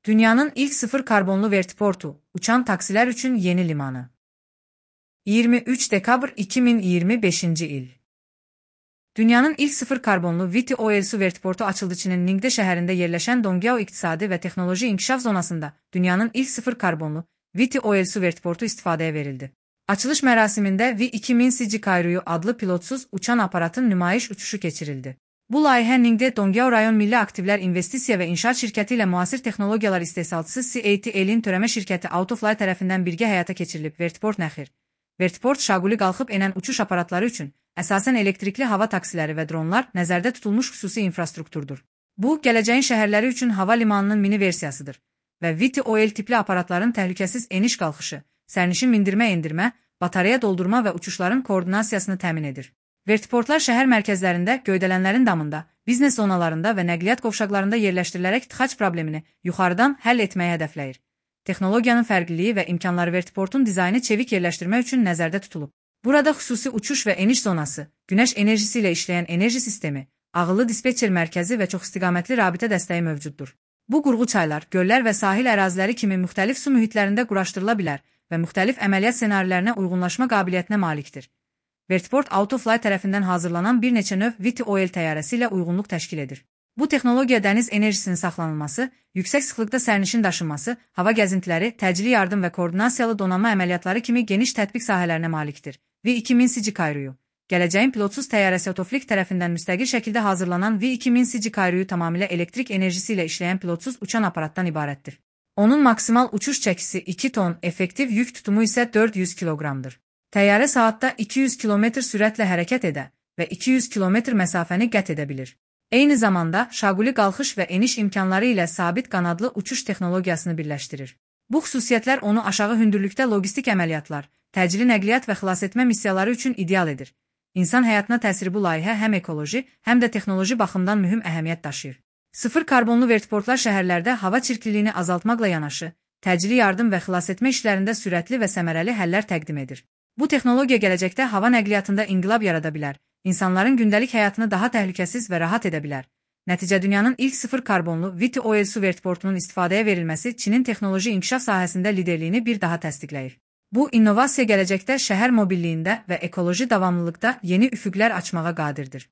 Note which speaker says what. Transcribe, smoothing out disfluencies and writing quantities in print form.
Speaker 1: Dünyanın ilk sıfır karbonlu vertiportu, uçan taksiler üçün yeni limanı. 23 dekabr 2025 il. Dünyanın ilk sıfır karbonlu VTOL vertiportu açıldı. Çinin Ningde şəhərində yerləşən Dongyao İqtisadi və Texnoloji İnkişaf Zonasında dünyanın ilk sıfır karbonlu VTOL vertiportu istifadəyə verildi. Açılış mərasimində V-2000 Kairuyu adlı pilotsuz uçan aparatın nümayiş uçuşu keçirildi. Bu layihə Ningde Dongyao Rayon Milli Aktivlər İnvestisiya və İnşaat şirkəti ilə müasir texnologiyalar istehsalçısı CATL-in törəmə şirkəti Autofly tərəfindən birgə həyata keçirilib. Vertiport nəxir. Vertiport şaquli qalxıb enən uçuş aparatları üçün əsasən elektrikli hava taksiləri və dronlar nəzərdə tutulmuş xüsusi infrastrukturdur. Bu, gələcəyin şəhərləri üçün hava limanının mini versiyasıdır və VTOL tipli aparatların təhlükəsiz eniş qalxışı, sərnişin mindirmə-endirmə, batareya doldurma və uçuşların koordinasiyasını təmin edir. Vertiportlar şəhər mərkəzlərində, göydələnlərin damında, biznes zonalarında və nəqliyyat qovşaqlarında yerləşdirilərək tıxac problemini yuxarıdan həll etməyi hədəfləyir. Texnologiyanın fərqliliyi və imkanları vertiportun dizaynı çevik yerləşdirmək üçün nəzərdə tutulub. Burada xüsusi uçuş və eniş zonası, günəş enerjisi ilə işləyən enerji sistemi, ağıllı dispetçer mərkəzi və çoxistiqamətli rabitə dəstəyi mövcuddur. Bu qurğu çaylar, göllər və sahil əraziləri kimi müxtəlif su mühitlərində quraşdırıla bilər və müxtəlif əməliyyat ssenarilərinə uyğunlaşma qabiliyyətinə malikdir. Vertiport Autofly tərəfindən hazırlanan bir neçə növ VTOL təyyarəsi ilə uyğunluq təşkil edir. Bu texnologiya dəniz enerjisinin saxlanılması, yüksək sıxlıqda sərnişin daşınması, hava gəzintiləri, təcili yardım və koordinasiyalı donanma əməliyyatları kimi geniş tətbiq sahələrinə malikdir. V-2000 Kairuyu. Gələcəyin pilotsuz təyyarəsi Autoflik tərəfindən müstəqil şəkildə hazırlanan V-2000 Kairuyu tamamilə elektrik enerjisi ilə işləyən pilotsuz uçan aparatdan ibarətdir. Onun maksimal uçuş çəkisi 2 ton, effektiv yük tutumu isə 400 kiloqramdır. Təyyarə saatda 200 km sürətlə hərəkət edə və 200 km məsafəni qət edə bilir. Eyni zamanda şaquli qalxış və eniş imkanları ilə sabit qanadlı uçuş texnologiyasını birləşdirir. Bu xüsusiyyətlər onu aşağı hündürlükdə logistik əməliyyatlar, təcili nəqliyyat və xilasetmə missiyaları üçün ideal edir. İnsan həyatına təsiri bu layihə həm ekoloji, həm də texnoloji baxımdan mühüm əhəmiyyət daşıyır. Sıfır karbonlu vertiportlar şəhərlərdə hava çirkliliyini azaltmaqla yanaşı, təcili yardım və xilasetmə işlərində sürətli və səmərəli həllər təqdim edir. Bu texnologiya gələcəkdə hava nəqliyyatında inqilab yarada bilər, insanların gündəlik həyatını daha təhlükəsiz və rahat edə bilər. Nəticə dünyanın ilk sıfır karbonlu VTOL vertiportunun istifadəyə verilməsi Çinin texnoloji inkişaf sahəsində liderliyini bir daha təsdiqləyir. Bu, innovasiya gələcəkdə şəhər mobilliyində və ekoloji davamlılıqda yeni üfüqlər açmağa qadirdir.